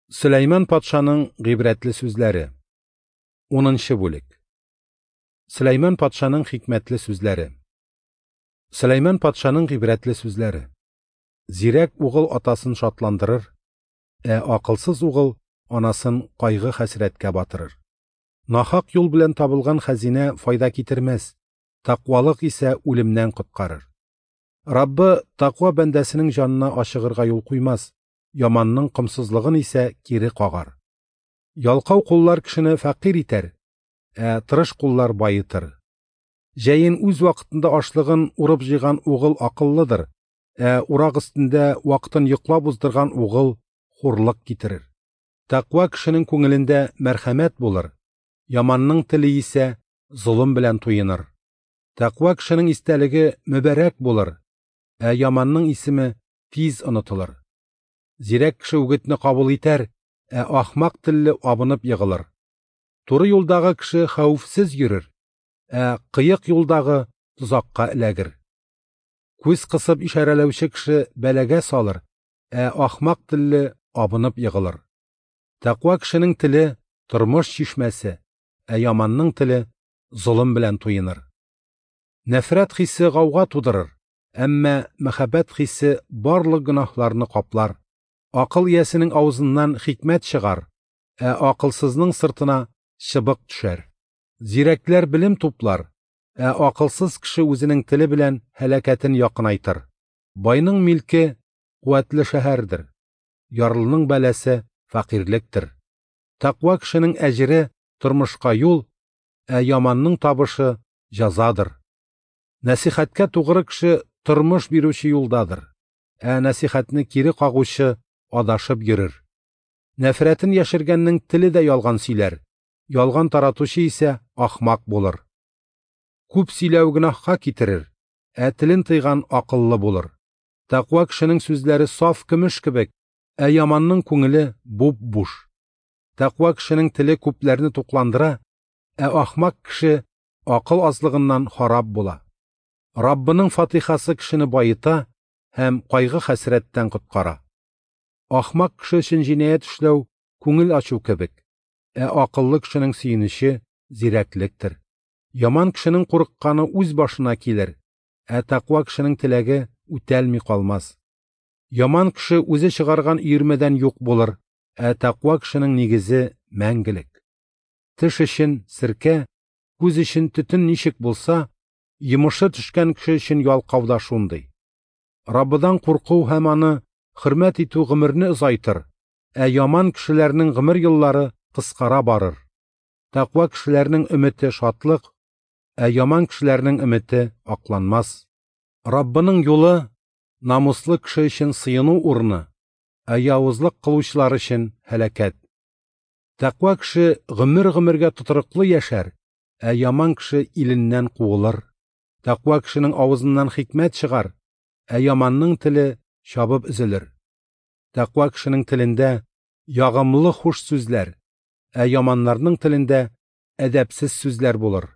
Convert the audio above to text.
Сөләйман патшаның гыйбрәтле сүзләре. 10 бүлек. Сөләйман патшаның хикмәтле сүзләре. Сөләйман патшаның гыйбрәтле сүзләре. Зирәк угыл атасын шатландырыр, ә акылсыз угыл анасын кайгы-хәсрәткә батырыр. Нахак юл белән табылган хәзинә файда китермәс, тәкъвалык исә үлемнән коткарыр. Раббы тәкъва бәндәсенең җанына ачыгырга юл куймас, яманның комсызлыгын исә кире кагар. Ялкау куллар кешене фәкыйрь итәр, ә тырыш куллар байытыр. Җәен үз вакытында ашлыгын урып җыйган угыл акыллыдыр, ә урак өстендә вакытын йоклап уздырган угыл хурлык китерер. Тәкъва кешенең күңелендә мәрхәмәт булыр, яманның теле исә золым белән туеныр. Тәкъва кешенең истәлеге мөбарәк булыр, ә яманның исеме тиз онытылыр. Зирәк кеше үгетне кабул итәр, ә ахмак телле абынып егылыр. Туры юлдагы кеше хәвефсез йөрер, ә кыек юлдагы тозакка эләгер. Күз кысып ишарәләүче кеше бәлагә салыр, ә ахмак телле абынып егылыр. Тәкъва кешенең теле тормыш чишмәсе, ә яманның теле золым белән туеныр. Нәфрәт хисе гауга тудырыр, әмма мәхәббәт хисе барлык гөнаһларны каплар. Акыл иясенең авызыннан хикмәт чыгар, ә акылсызның сыртына чыбык төшәр. Зирәкләр белем туплар, ә акылсыз кеше үзенең теле белән һәлакәтен якынайтыр. Байның милке куәтле шәһәрдер, ярлының бәласе фәкыйрьлектер. Тәкъва кешенең әҗере тормышка юл, ә яманның табышы җәзадыр. Нәсихәткә тугры кеше тормыш бирүче юлдадыр, ә нәсихәтне кире кагучы адашып йөрер. Нәфрәтен яшергәннең теле дә ялган сөйләр, ялган таратучы исә ахмак булыр. Күп сөйләү гөнаһка китерер, ә телен тыйган акыллы булыр. Тәкъва кешенең сүзләре саф көмеш кебек, ә яманның күңеле буп-буш. Тәкъва кешенең теле күпләрне тукландыра, ә ахмак кеше акыл азлыгыннан харап була. Раббының фатихасы кешене байыта һәм кайгы-хәсрәттән коткара. Ахмак кеше өчен җинаять эшләү күңел ачу кебек, ә акыллы кешенең сөенече зирәклектер. Яман кешенең курыкканы үз башына килер, ә тәкъва кешенең теләге үтәлми калмас. Яман кеше үзе чыгарган өермәдән юк булыр, ә тәкъва кешенең нигезе мәңгелек. Теш өчен серкә, күз өчен төтен ничек булса, йомышы төшкән кеше өчен ялкау да шундый. Раббыдан курку һәм аны хөрмәт итү гомерне озайтыр, ә яман кешеләрнең гомер еллары кыскара барыр. Тәкъва кешеләрнең өмете шатлык, ә яман кешеләрнең өмете акланмас. Раббының юлы намуслы кеше өчен сыену урыны, ә явызлык кылучылар өчен һәлакәт. Тәкъва кеше гомер-гомергә тотрыклы яшәр, ә яман кеше иленнән куылыр. Тәкъва кешенең авызыннан хикмәт чыгар, ә яманның теле чабып өзелер. Тәкъва кешенең телендә ягымлы хуш сүзләр, ә яманнарның телендә әдәпсез сүзләр булыр.